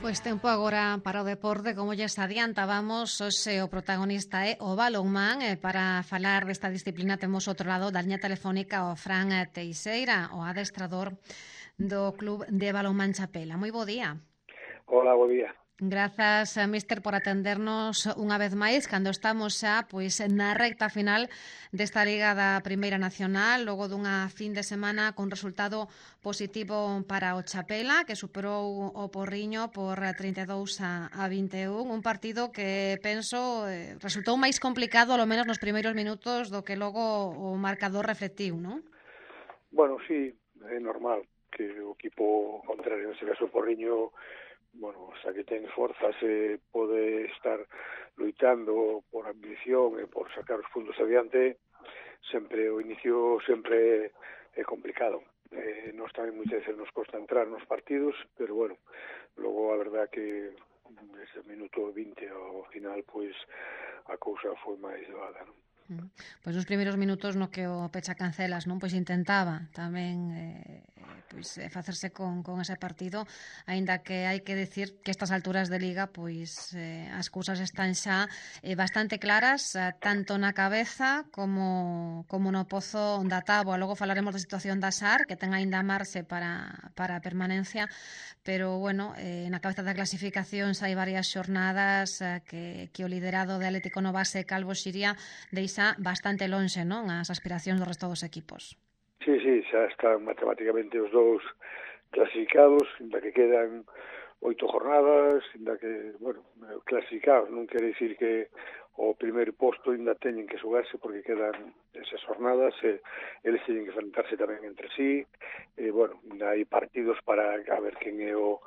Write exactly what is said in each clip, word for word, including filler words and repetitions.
Pois tempo agora para o deporte, como lles adiantábamos, hoxe o protagonista é o balonmán. E para falar desta disciplina temos outro lado da liña telefónica o Fran Teixeira, o adestrador do Club de Balonmán Chapela. Moi bo día. Hola, bo día. Grazas, mister, por atendernos unha vez máis cando estamos xa pois na recta final desta Liga da Primeira Nacional, logo dunha fin de semana con resultado positivo para o Chapela, que superou o Porriño por trinta e dous a vinte e un, un partido que penso eh, resultou máis complicado, ao menos nos primeiros minutos, do que logo o marcador reflectiu, non? Bueno, sí, é normal que o equipo contrario, neste caso o Porriño, bueno, xa que ten forzas e pode estar loitando por ambición e por sacar os puntos adiante, sempre o inicio sempre é complicado. Eh, nos tamén moitas veces nos costa entrar nos partidos, pero bueno, logo a verdad que ese minuto vinte ao final, pois a cousa foi máis doada, non? Pois nos primeiros minutos no que o Pecha Cancelas non pois intentaba tamén eh, pois facerse con, con ese partido, aínda que hai que decir que estas alturas de Liga pois eh, as cousas están xa eh, bastante claras, eh, tanto na cabeza como, como no pozo da táboa. Logo falaremos da situación da S A R, que ten aínda marxe para, para a permanencia, pero bueno, eh, na cabeza da clasificación hai varias xornadas eh, que, que o liderado de Atlético Novase Calvo Xiria deixa bastante lonxe, non, as aspiracións do resto dos equipos. Sí, sí, xa están matemáticamente os dous clasificados, ainda que quedan oito jornadas, ainda que, bueno, clasificados non quere dicir que o primeiro posto ainda teñen que xogarse porque quedan esas jornadas, e eles teñen que enfrentarse tamén entre sí, e, bueno, hai partidos para a ver quen é o,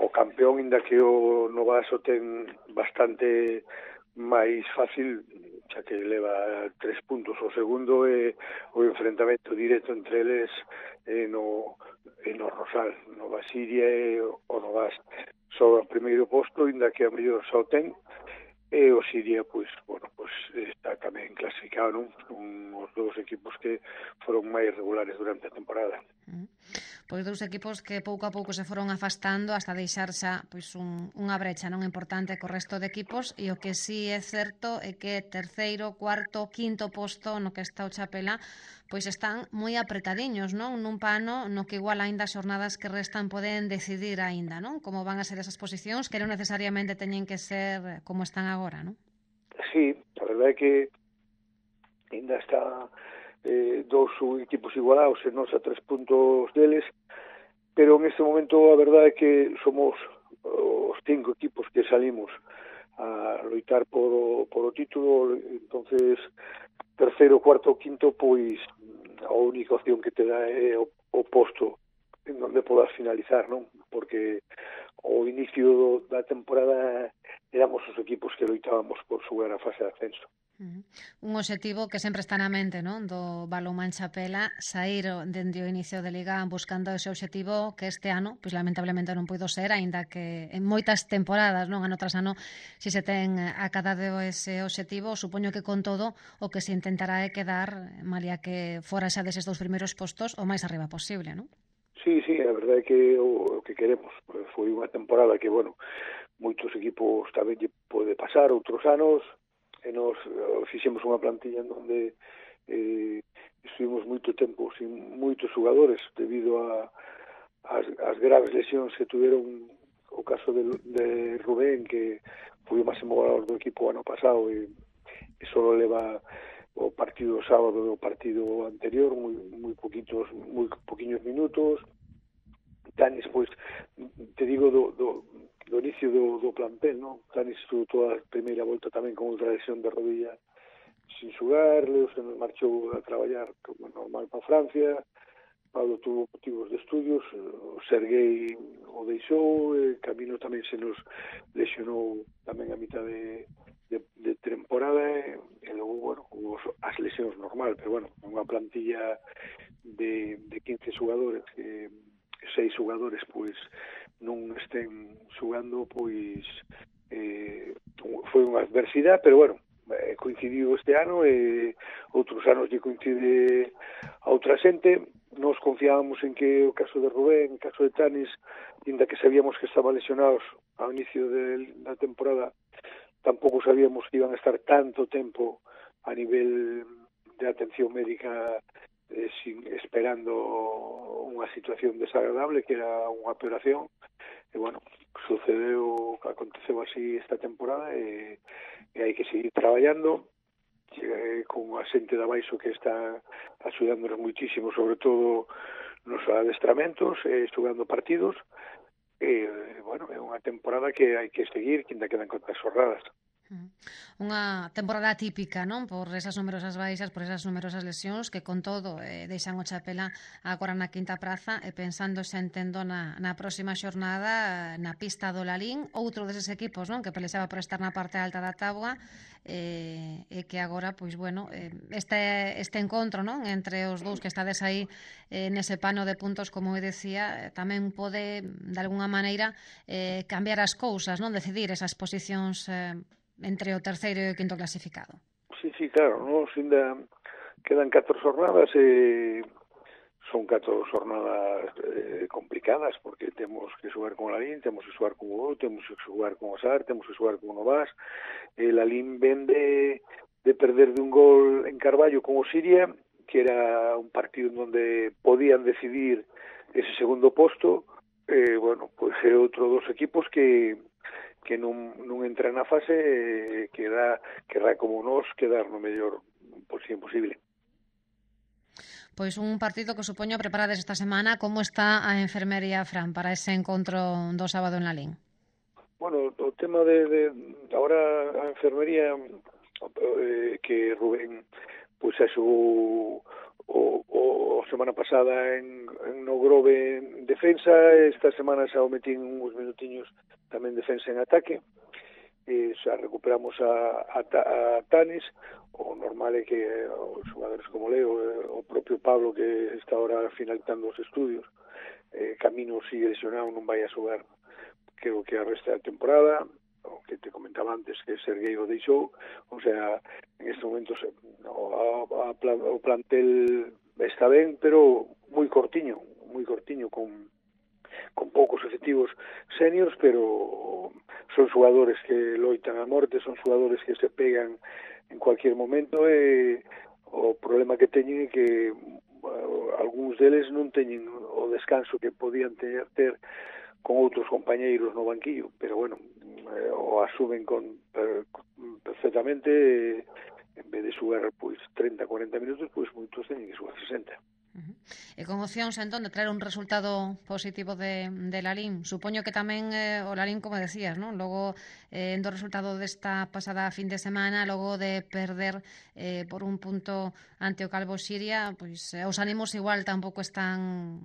o campeón, ainda que o Novaso ten bastante máis fácil, xa que leva tres puntos o segundo, e o enfrentamento directo entre eles é no, é no Rosal, no Basiria e o Novas. Só o primeiro posto, ainda que a mellor só ten, e o Siria, pois, bueno, pois está tamén clasificado, non? Son os dous equipos que foron máis regulares durante a temporada. Mm. Pois dous equipos que pouco a pouco se foron afastando hasta deixar xa pois un, unha brecha non importante co resto de equipos, e o que sí é certo é que terceiro, cuarto, quinto posto no que está o Chapela pois están moi apretadiños, non? Nun pano no que igual aínda as xornadas que restan poden decidir aínda, non? Como van a ser esas posicións, que non necesariamente teñen que ser como están agora, non? Sí, a verdade é que ainda está eh, dous equipos igualados e nos a tres puntos deles, pero en este momento a verdade é que somos os cinco equipos que salimos a loitar por o, por o título. Entonces terceiro, cuarto, quinto, pois a única opción que te dá é o, o posto en donde podas finalizar, non? Porque ao inicio da temporada éramos os equipos que loitábamos por xogar a fase de ascenso. Un obxectivo que sempre está na mente, non? Do Balonmán Chapela, sair dende o inicio de Liga buscando ese obxectivo que este ano, pois lamentablemente non puido ser, aínda que en moitas temporadas, non, ano tras ano, si se ten acadado ese obxectivo, supoño que con todo o que se intentará é quedar, malia que fora xa deses dous primeiros postos, o máis arriba posible, non? Sí, sí, a verdade é que o, o que queremos foi unha temporada que, bueno, moitos equipos tamén lle pode pasar, outros anos, e nos fixemos unha plantilla en donde eh, estuvimos moito tempo sin moitos xogadores debido a as, as graves lesións que tuveron, o caso de, de Rubén, que foi o máximo goleador do equipo ano pasado, e, e só leva o partido sábado do partido anterior, moi, moi poquitos, moi poquiños minutos. Tanis, pois, te digo do, do do inicio do, do plantel, non? Tanis estuvo toda a primeira volta tamén con outra lesión de rodilla sin xogar, Leo se nos marchou a traballar como normal para Francia, Pablo tuvo motivos de estudios, o Serguei o deixou, e Camino tamén se nos lesionou tamén a mitad de, de, de temporada, e, e logo, bueno, hubo as lesións normal, pero bueno, unha plantilla de, de quince xogadores, que seis xogadores, pois, non estén xogando, pois eh, foi unha adversidade, pero bueno, eh, coincidiu este ano e outros anos lle coincide a outra xente. Nos confiábamos en que o caso de Rubén, o caso de Tanis, inda que sabíamos que estaban lesionados ao inicio de, da temporada, tampouco sabíamos que iban a estar tanto tempo a nivel de atención médica eh, sin, esperando unha situación desagradable que era unha operación. E bueno, sucedeu, aconteceu así esta temporada e, e hai que seguir traballando eh, con a xente de abaixo que está axudándonos muitísimo, sobre todo nos adestramentos, eh, xogando partidos. E, bueno, é unha temporada que hai que seguir, que ainda quedan contas xornadas. Unha temporada típica, non? Por esas numerosas baixas, por esas numerosas lesións que con todo eh, deixan o Chapela agora na quinta praza e pensando xa entendo na, na próxima xornada na pista do Lalín, outro deses equipos, non? Que pelexaba por estar na parte alta da táboa e, e que agora, pois bueno, eh, este, este encontro, non? Entre os dous que estades aí eh, nese pano de puntos, como eu decía, eh, tamén pode de alguna maneira eh, cambiar as cousas, non? Decidir esas posicións eh, entre o terceiro e o quinto clasificado. Sí, sí, claro, nos ainda quedan catro xornadas e son catro xornadas eh, complicadas porque temos que xogar con o Lalín, temos que xogar con o Gol, temos que xogar con o Sar, temos que xogar con o Novas. E Lalín ven de, de perder de un gol en Carballo con o Siria, que era un partido onde podían decidir ese segundo posto. E, bueno, pois é outro dos equipos que que non, non entra na fase eh, que dá, que dá como nos quedar no mellor posible posible. Pois un partido que supoño preparades esta semana. Como está a enfermería, Fran, para ese encontro do sábado en Lalín? Bueno, o tema de, de ahora a enfermería eh, que Rubén pois pues, xogou o, o semana pasada en, en no Grove en defensa, esta semana xa o metín uns minutiños tamén defensa en ataque, e xa recuperamos a, a, a Tanis. O normal é que os xogadores como Leo, o propio Pablo, que está ahora finalizando os estudios, eh, Camino sigue lesionado, non vai a xogar creo que a resta da temporada. O que te comentaba antes, que Sergueiro deixou, o sea, en este momento o, a, a, o plantel está ben, pero moi cortiño, moi cortiño, con con poucos efectivos seniors, pero son xogadores que loitan a morte, son xogadores que se pegan en cualquier momento, e o problema que teñen é que uh, algúns deles non teñen o descanso que podían ter, ter con outros compañeiros no banquillo, pero bueno, eh, o asumen con per, perfectamente, eh, en vez de xogar pois treinta, cuarenta minutos, pois moitos teñen que xogar sesenta. Uh-huh. E con opcións, entón, de traer un resultado positivo de, de Lalín. Supoño que tamén eh, o Lalín, como decías, ¿no? Logo, eh, do resultado desta pasada fin de semana, logo de perder eh, por un punto ante o Calvo Siria, pois eh, os ánimos igual tampouco están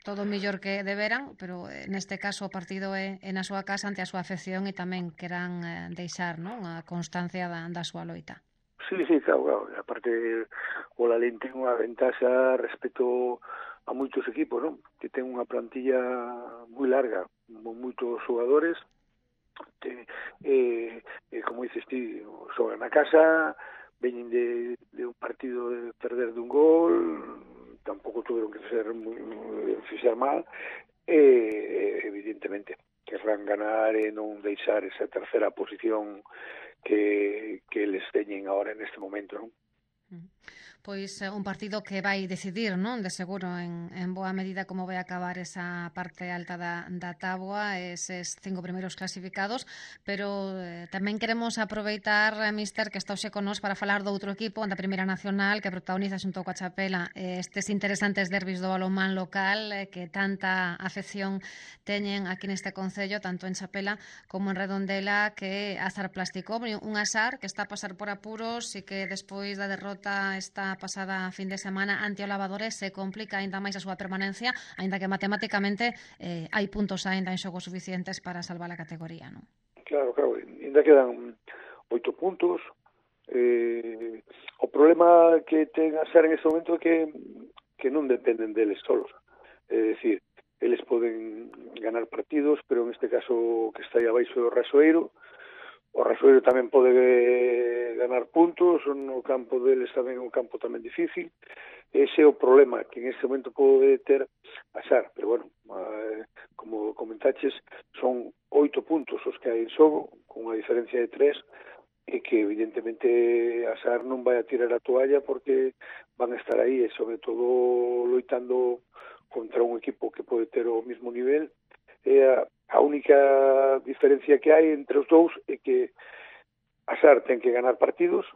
todo mellor que deberan, pero eh, neste caso o partido é, é na súa casa ante a súa afección e tamén queran eh, deixar, non? A constancia da, da súa loita. Sí, sí, claro, claro. Aparte, o Lalín ten unha ventaxa respecto a moitos equipos, non? Que ten unha plantilla moi larga, con moitos xogadores, te, eh, eh, como dices ti, xogan na casa, veñen de, de un partido de perder de un gol, tampouco tuveron que ser moi, fixar mal, e eh, evidentemente querrán ganar e non deixar esa terceira posición que, que les teñen ahora en este momento, non? Pois un partido que vai decidir, non? De seguro, en, en boa medida como vai acabar esa parte alta da, da táboa, eses cinco primeiros clasificados, pero eh, tamén queremos aproveitar, Mister, que está hoxe con nós para falar do outro equipo da Primeira Nacional que protagoniza xunto coa Chapela eh, estes interesantes derbis do balonmán local eh, que tanta afección teñen aquí neste concello, tanto en Chapela como en Redondela, que Azar Plástico, un Azar que está a pasar por apuros e que despois da derrota esta pasada fin de semana ante o Lavadores se complica aínda máis a súa permanencia, aínda que matemáticamente eh, hai puntos aínda en xogo suficientes para salvar a categoría, non? Claro, claro, aínda quedan oito puntos. Eh, o problema que ten a ser en este momento é que, que non dependen deles solos. É dicir, eles poden ganar partidos, pero en este caso que está aí abaixo do Rasoeiro, o Rasoeiro tamén pode ganar puntos, no campo deles tamén é un campo tamén difícil. Ese é o problema que en este momento pode ter a Sar, pero bueno, eh, como comentaches, son oito puntos os que hai en xogo, con unha diferencia de tres, e que evidentemente a Sar non vai a tirar a toalla porque van a estar aí, e sobre todo loitando contra un equipo que pode ter o mismo nivel. E a, a única diferencia que hai entre os dous é que a Sar ten que ganar partidos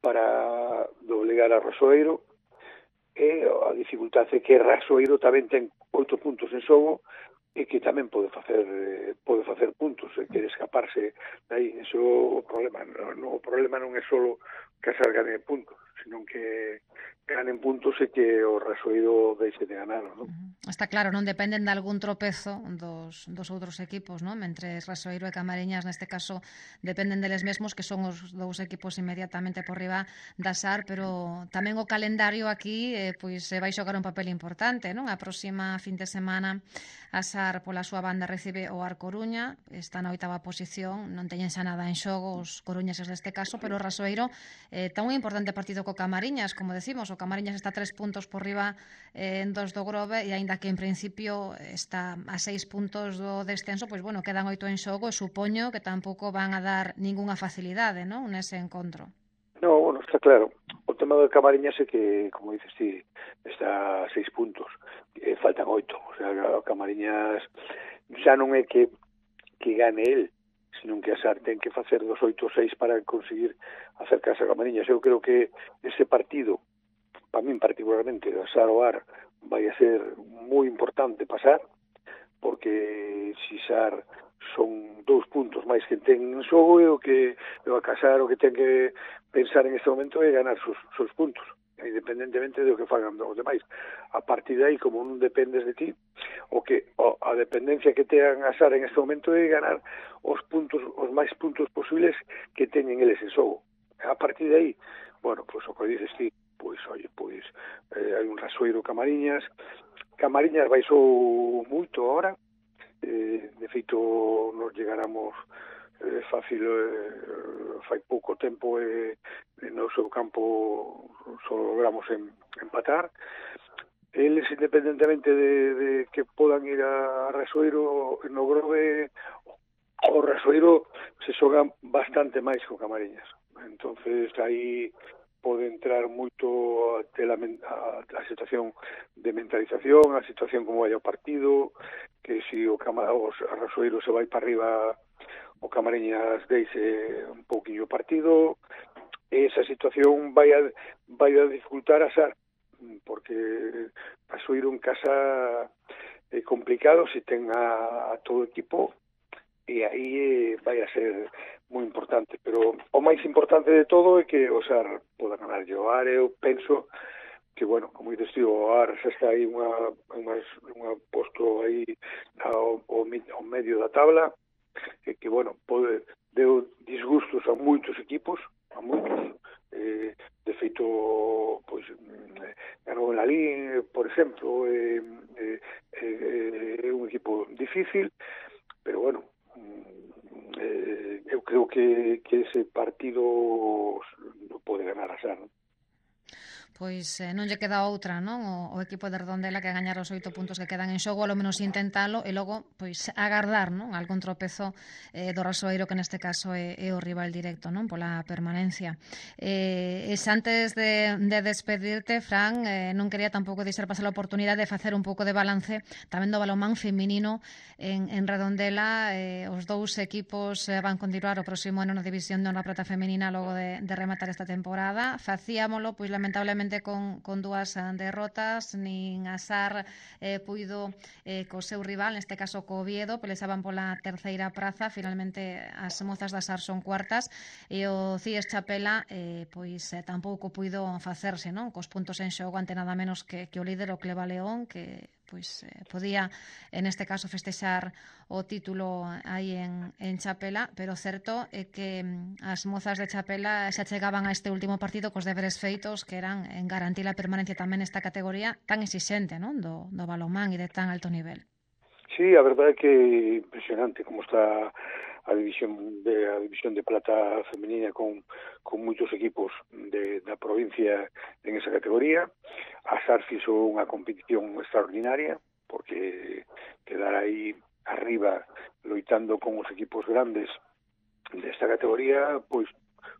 para doblegar a Rasoeiro, e a dificultade é que Rasoeiro tamén ten oito puntos en xogo e que tamén pode facer pode facer puntos e quere escaparse dai. Eso é o problema. No, no, o problema non é só que a Sar gane puntos, sino que ganen puntos e que o Rasoeiro deixe de ganar, non? Está claro, non dependen de algún tropezo dos, dos outros equipos, non? Mentre Rasoeiro e Camariñas, neste caso, dependen deles mesmos, que son os dous equipos inmediatamente por riba da Sar, pero tamén o calendario aquí eh, pois vai xogar un papel importante, non? A próxima fin de semana a Sar pola súa banda recibe o Ar Coruña, está na oitava posición, non teñen xa nada en xogo os coruñeses neste caso, pero o Rasoeiro eh, ten un importante partido co Camariñas, como decimos, o Camariñas está tres puntos por riba eh, en dos do Grove, e aínda que en principio está a seis puntos do descenso, pois bueno, quedan oito en xogo, e supoño que tampouco van a dar ningunha facilidade, non, nese encontro. No, bueno, está claro. O tema do Camariñas é que, como dices ti, está a seis puntos. Eh, faltan oito. O sea, o Camariñas xa non é que, que gane el, sino que a Sar ten que facer dos oito seis para conseguir acercarse a Camariñas. Eu creo que ese partido, para min particularmente, a Sar o Ar, vai a ser moi importante pasar, porque si Sar son dous puntos máis que ten en xogo, e o que o a Casar o que ten que pensar en este momento é ganar sus, sus puntos, independentemente do que fagan os demais. A partir de aí, como non dependes de ti, o que o, a dependencia que tean a Sar en este momento é ganar os puntos, os máis puntos posibles que teñen eles en xogo. A partir de aí, bueno, pois o que dices ti, pois, oye, pois eh, hai un Rasoeiro Camariñas. Camariñas baixou moito agora. Eh, de feito, nos llegaramos eh, fácil, eh, fai pouco tempo, e eh, no seu campo só logramos en, empatar. Eles, independentemente de, de que podan ir a Rasoeiro, no Grove, o Rasoeiro se xoga bastante máis co Camariñas. Entonces, aí pode entrar moito a, a, a situación de mentalización, a situación como vai o partido, que se si o, o Rasoeiro se vai para arriba, o Camariñas deixe un pouquinho o partido. Esa situación vai a, vai a dificultar a Sar, porque Rasoeiro en casa é complicado se ten a, a todo o equipo, e aí vai a ser moi importante. Pero o máis importante de todo é que o Sar poda ganar o Ar. Eu penso que, bueno, como dices ti, o Ar xa está aí unha, unha, unha posto aí ao, ao, ao medio da tabla, e que, bueno, pode, deu disgustos a moitos equipos, a moitos. Eh, de feito, pois, ganou en Lalín, por exemplo, é eh, eh, eh, un equipo difícil, pero, bueno, eh, eu creo que, que ese partido non pode ganar a Sar, non? Pois eh, non lle queda outra, non? O, o equipo de Redondela que gañar os oito puntos que quedan en xogo, ao menos intentalo, e logo, pois, agardar, non? Algún tropezo eh, do Rasoeiro, que neste caso é, é o rival directo, non? Pola permanencia. Eh, e antes de, de despedirte, Fran, eh, non quería tampouco deixar pasar a oportunidade de facer un pouco de balance tamén do balonmán feminino en, en Redondela. Eh, os dous equipos eh, van continuar o próximo ano na división de honra prata femenina logo de, de rematar esta temporada. Facíamolo, pois, lamentablemente, Con, con dúas derrotas, nin a Sar eh, puido eh, co seu rival, neste caso co Oviedo, peleaban pola terceira praza. Finalmente as mozas da Sar son cuartas, e o Cies Chapela eh, pois eh, tampouco puido facerse, non? Cos puntos en xogo ante nada menos que, que o líder, o Cleva León, que pois eh, podía, en este caso, festexar o título aí en, en Chapela, pero certo é que as mozas de Chapela xa chegaban a este último partido cos deberes feitos, que eran en garantir a permanencia tamén nesta categoría tan exixente, non? Do, do balonmán e de tan alto nivel. Sí, a verdade é que impresionante como está a división de a división de plata femenina con, con moitos equipos de, da provincia en esa categoría. A SAR fixo unha competición extraordinaria, porque quedar aí arriba loitando con os equipos grandes desta categoría, pois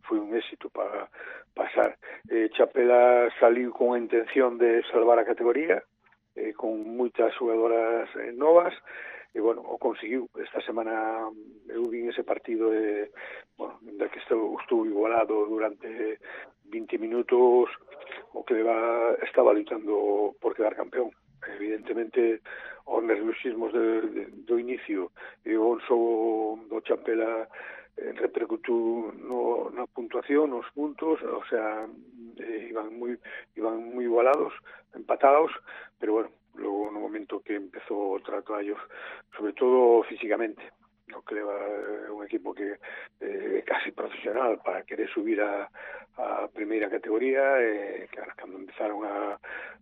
foi un éxito para pasar. Eh, Chapela saliu con a intención de salvar a categoría, eh, con moitas xogadoras eh, novas, e, bueno, o conseguiu. Esta semana eu vin ese partido de, bueno, da que estou, estou igualado durante vinte minutos, o que va, estaba lutando por quedar campeón. Evidentemente, os nerviosismos de, de, do inicio e o onso do Chapela eh, repercutiu no, na puntuación, nos puntos, o sea, eh, iban moi iban moi igualados, empatados, pero bueno, logo no momento que empezou o traballo, sobre todo físicamente, o que leva un equipo que é eh, casi profesional para querer subir a, a primeira categoría, e eh, claro, cando empezaron a,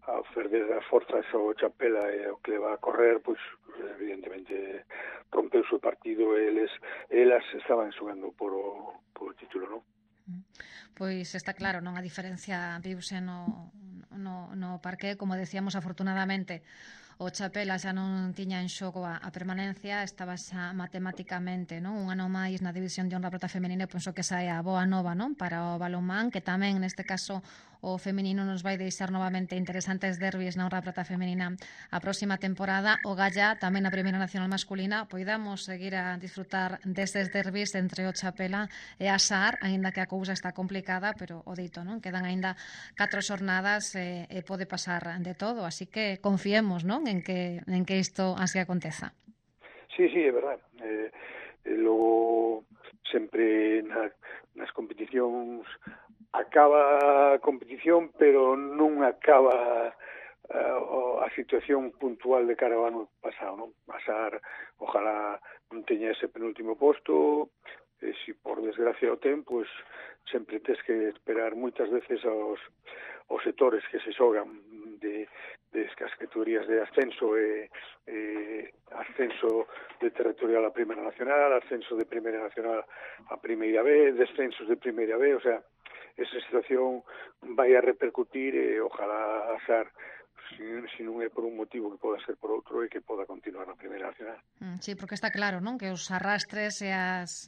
a perder as forzas o Chapela e o que leva a correr, pois evidentemente rompeu o partido e eles, elas estaban xogando por o, por o título, non? Pois está claro, non? A diferencia viuse no, no, no parque, como decíamos, afortunadamente o Chapela xa non tiña en xogo a, a permanencia, estaba xa matemáticamente, non? Un ano máis na división de honra prata femenina, e penso que esa é a boa nova, non? Para o balonmán, que tamén neste caso o feminino nos vai deixar novamente interesantes derbis na honra prata femenina a próxima temporada. O Galla tamén na primeira nacional masculina, poidamos seguir a disfrutar destes derbis entre o Chapela e a SAR, aínda que a cousa está complicada, pero o dito, non? Quedan aínda catro xornadas e, e pode pasar de todo, así que confiemos, non? En que, en que isto así aconteza. Sí, sí, é verdade. Eh, eh, logo, sempre na, nas competicións acaba a competición, pero non acaba uh, a situación puntual de cara ao ano pasado, non? Pasar, ojalá non teña ese penúltimo posto, e se por desgracia o ten, pois sempre tes que esperar moitas veces aos, aos sectores que se xogan de, de as categorías de ascenso e, e ascenso de territorial a Primeira Nacional, ascenso de Primeira Nacional a Primeira B, descensos de Primeira B, o sea, esa situación vai a repercutir e ojalá a SAR, se si non é por un motivo, que poda ser por outro, e que poda continuar na Primeira Nacional. Sí, porque está claro, non? Que os arrastres e as,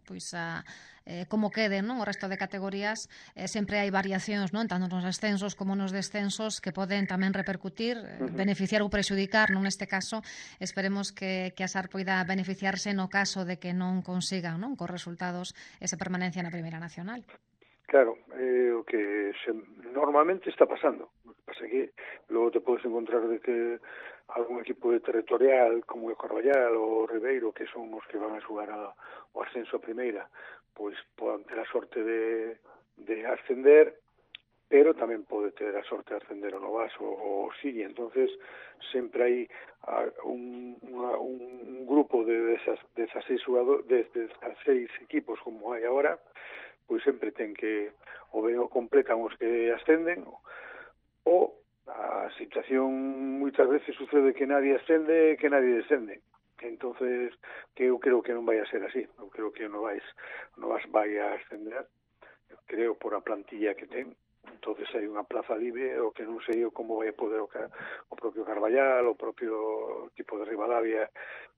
pois a eh, como queden, non? O resto de categorías, eh, sempre hai variacións, non? Tanto nos ascensos como nos descensos, que poden tamén repercutir, eh, uh -huh. beneficiar ou prexudicar, non? Neste caso, esperemos que, que a SAR poida beneficiarse no caso de que non consigan, non? Cos resultados esa permanencia na Primeira Nacional. Claro, é eh, o que se, normalmente está pasando. O que pasa é que logo te podes encontrar de que algún equipo de territorial como o Carballal ou o Ribeiro, que son os que van a xogar a, o ascenso a primeira, pois poden ter a sorte de, de ascender, pero tamén pode ter a sorte de ascender o Novas ou o Sigue. Entonces sempre hai a, un, una, un grupo de desas, desas seis jugadores, de, de desas seis equipos como hai agora, pois sempre ten que o ben o completan os que ascenden, ou a situación moitas veces sucede que nadie ascende e que nadie descende. Entonces, que eu creo que non vai a ser así. Eu creo que non vais, non vas vai a ascender, eu creo por a plantilla que ten. Entonces hai unha plaza libre, o que non sei eu como vai poder o, o propio Carballal, o propio tipo de Rivadavia,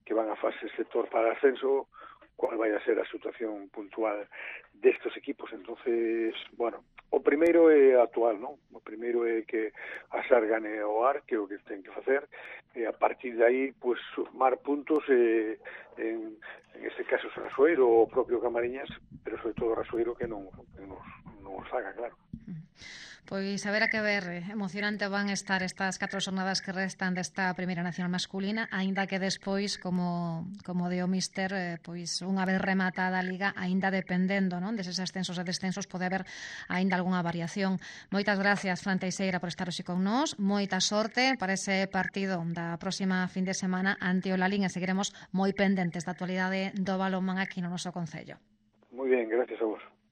que van a fase sector para ascenso, cual vai a ser a situación puntual destes equipos. Entonces, bueno, o primeiro é actual, non? O primeiro é que a SAR gane o A R, que é o que ten que facer, e a partir de aí, pues, sumar puntos, eh, en, en este caso Rasoeiro ou o propio Camariñas, pero sobre todo Rasoeiro que non, que nos, non os faga, claro. Pois a ver a que ver, emocionante van estar estas catro xornadas que restan desta Primeira Nacional masculina, aínda que despois, como, como de o míster, eh, pois unha vez rematada a Liga, aínda dependendo, non, deses ascensos e descensos, pode haber aínda algunha variación. Moitas gracias, Fran Teixeira, por estar hoxe con nós, moita sorte para ese partido da próxima fin de semana ante o Lalín, e seguiremos moi pendentes da actualidade do balonmán aquí no noso concello. Moi ben, gracias a vos.